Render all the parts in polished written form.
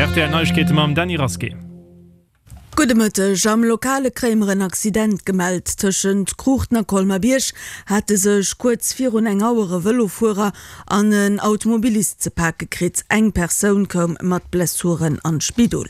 Rtl Neiegkeete mam Dany Rasqué. Gudde Mëtteg. Am Lokale kréie mer en Accident gemellt. Tëschent Kruuchten a Colmer-Bierg hate sech kuerz virun eng Auer e Vëlofuerer an en Automobilist ze pake kritt. Eng Persoun koum mat Blessuren an d'Spidol.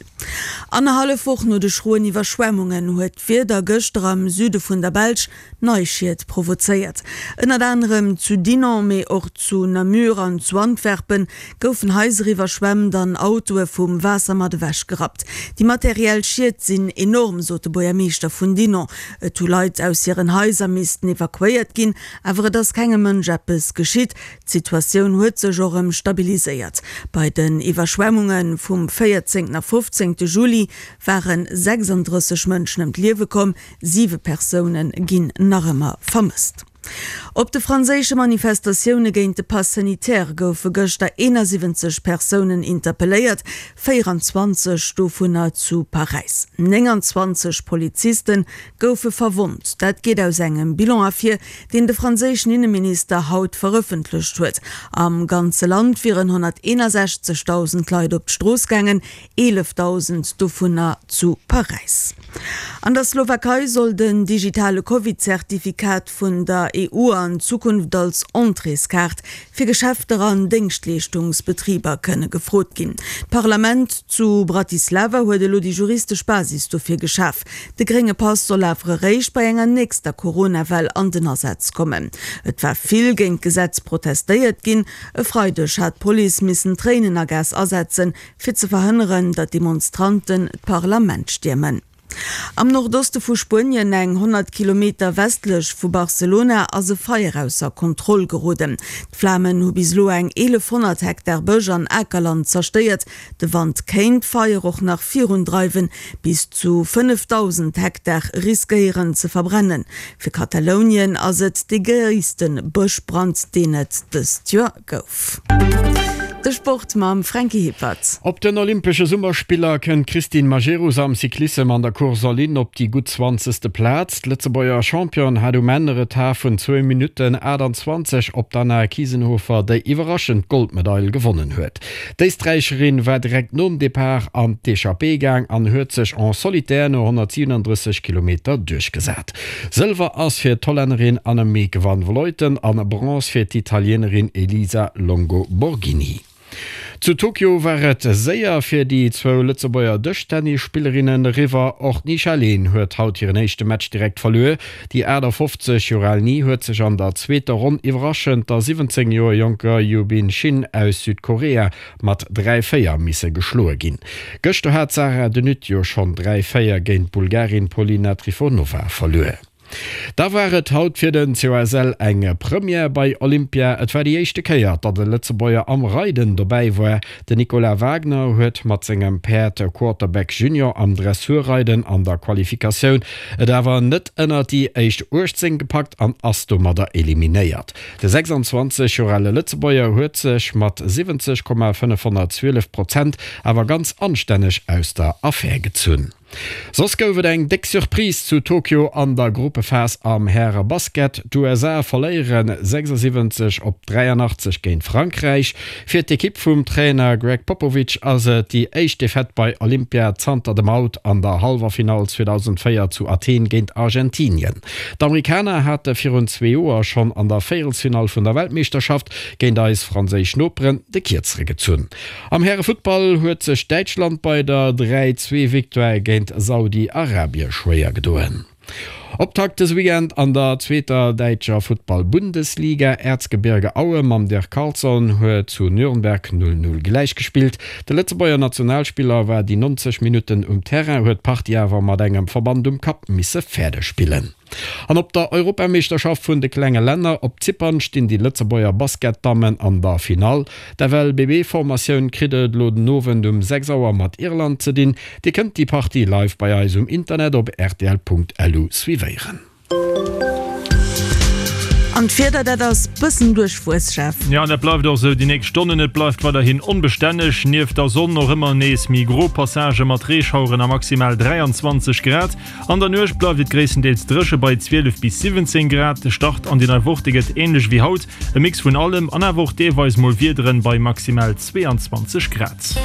Annerhallef Woch no de schroen Iwwerschwemmungen huet d'Wieder gëschter am Süde vun der Belsch nei Schied provozéiert. Ënnert anerem zu Dinant, mee och zu Namur an zu Antwerpen goufen Haiser iwwerschwemmt an Autoe vum Waasser mat ewech gerappt. Déi materiell Schied sinn enorm, sot de Buergermeeschter vun Dinant. Et hu Leit aus hiren Haiser missten evakuéiert ginn, awer et ass kengem Mënsch eppes geschitt. D'Situatioun huet sech och erëm stabiliséiert. Bei den Iwwerschwemmunge vum 14 a 15 Juli ware 36 Mënschen ëm d'Liewe komm, Siwe Persoune ginn nach ëmmer vermësst. Op de franséische Manifestatioune géint de Pass sanitaire goufe gëschter 71 Persounen interpelléiert, 24 dovunner zu Paräis. 29 Poliziste goufe verwonnt. Dat geet aus engem Bilan ervir, deen de franséischen Inneminister haut verëffentlecht huet. Am ganze Land wieren 161.000 Leit op d'Strooss gaangen, 11.000 dovunner zu Paräis. An der Slowakei soll den digitale Covid-Zertifikat vun der EU an Zukunft als Entréeskaart fir Geschäfter an Déngschtleeschtungsbetriber kënne gefrot ginn. D'Parlament zu Bratislava huet elo déi juristesch Basis dofir geschaf. De grénge Pass soll awer eréischt bei enger nächster Corona-Well an den Asaz kommen. Et war vill géint d'Gesetz protestéiert ginn. E Freideg hat d'Police missen Tréinenergas asetzen, fir ze verhënneren, datt Demonstranten d'Parlament stiermen. Am Nordoste vu Spuenien, eng 100 Kilometer westlech vu Barcelona, ass e Feier ausser Kontroll geroden. D'Flamen hu bis elo eng 1.100 Hektar Bësch an Akerland zerstéiert. De Wand kéint d'Feier och nach virundreiwen, bis zu 5.000 Hektar riskéieren ze verbrennen. Fir Katalounien ass et dee gréisste Bëschbrand, deen et dëst Joer gouf. De Sport mam Franky Hippert. Op den Olympesche Summerspiller kënnt d'Christine Majerus am Cyclissem an der Course en ligne op déi gutt zwanzegste Plaz. D'Lëtzebuerger Championne hat um Enn e Retard vun zwou Minutten 28 op d'Anna Kiesenhofer, déi iwwerraschend d'Goldmedail gewonnen huet. D'Éisträicherin war direkt nom Depart an d'Echappée gaang an huet sech en solitaire no 137 Kilometer duerchgesat. Sëlwer ass fir d'Hollännerin Annemiek van Vleuten an Bronze fir d'Italienerin Elisa Longo Borghini. Zu Tokio war et séier fir déi zwou Lëtzebuerger Dëschtennisspillerinnen eriwwer. Och d'Nisha Leen huet haut hiren éischte Match direkt verluer. Déi 58 Joer al Ni huet sech an der zweeter Ronn iwwerraschend der 17 Joer jonker Yubin Shin aus Südkorea mat 3, 4 misse geschloe ginn. Gëschter hat d'Sarah De Nutte jo schonn 3, 4 géint d'Bulgarin Polina Trifonova verluer. Da war et haut fir den COSL eng Première bei Olympia. Et war déi éischte Kéier, datt e Lëtzebuerger am Reiden dobäi war. Den Nicolas Wagner huet mat sengem Päerd Quarterback Junior am Dressurreiden an der Qualifikatioun et awer net ënnert déi éischt 18 gepackt an ass domadder eliminéiert. De 26 Joer ale Lëtzebuerger huet sech mat 70,512 Prozent awer ganz anstänneg aus der Affär gezunn. Soss gouf et eng déck Surprise zu Tokio an der Gruppephas am Häre-Basket. D'USA verléiere 76 op 83 géint Frankräich. Fir d'Ekipp vum Trainer Gregg Popovich ass et déi éischt Defaite bei Olympia zanter dem Out an der Hallwerfinall 2004 zu Athen géint Argentinien. D'Amerikaner hate virun zwee Joer schonn an der Véierelsfinall vun der Weltmeeschterschaft géint eis franséisch Noperen de Kierzere gezunn. Am Härefuttball huet sech Däitschland bei der 3, 2 Victoire géint Saudi-Arabie schwéier gedoen. Optakt dëse Weekend an der zweeter däitscher Futtball-Bundesliga. Erzgebirge Aue mam Dirk Carlson huet zu Nürnberg 0, 0 gläichgespillt. De Lëtzebuerger Nationalspiller war déi 90 Minutten um Terrain, huet d'Partie awer mat engem Verband um Kapp misse fäerdeg spillen. An op der Europameeschterschaft vun de klenge Länner op Zypern stinn déi Lëtzebuerger Basketdammen an der Finall. D'FLBB-Formatioun kritt et elo den Owend um 6 Auer mat Irland ze dinn. Dir kënnt déi Partie live bei eis um Internet op rtl.lu suivéieren. An d'Wieder, dat ass bëssen duerchwuess, Jeff. Jo, an dat bleift och esou déi nächst Stonnen. Et bleift weiderhin onbestänneg, nieft der Sonn och ëmmer nees méi gro Passagë mat Reeschaueren a maximal 23 Grad. An der Nuecht bleift et gréisstendeels dréche bei 12 bis 17 Grad. De Start an déi nei Woch, dee gëtt änlech wéi haut, e Mix vun allem an awer och deelweis mol Wiederen bei maximal 22 Grad.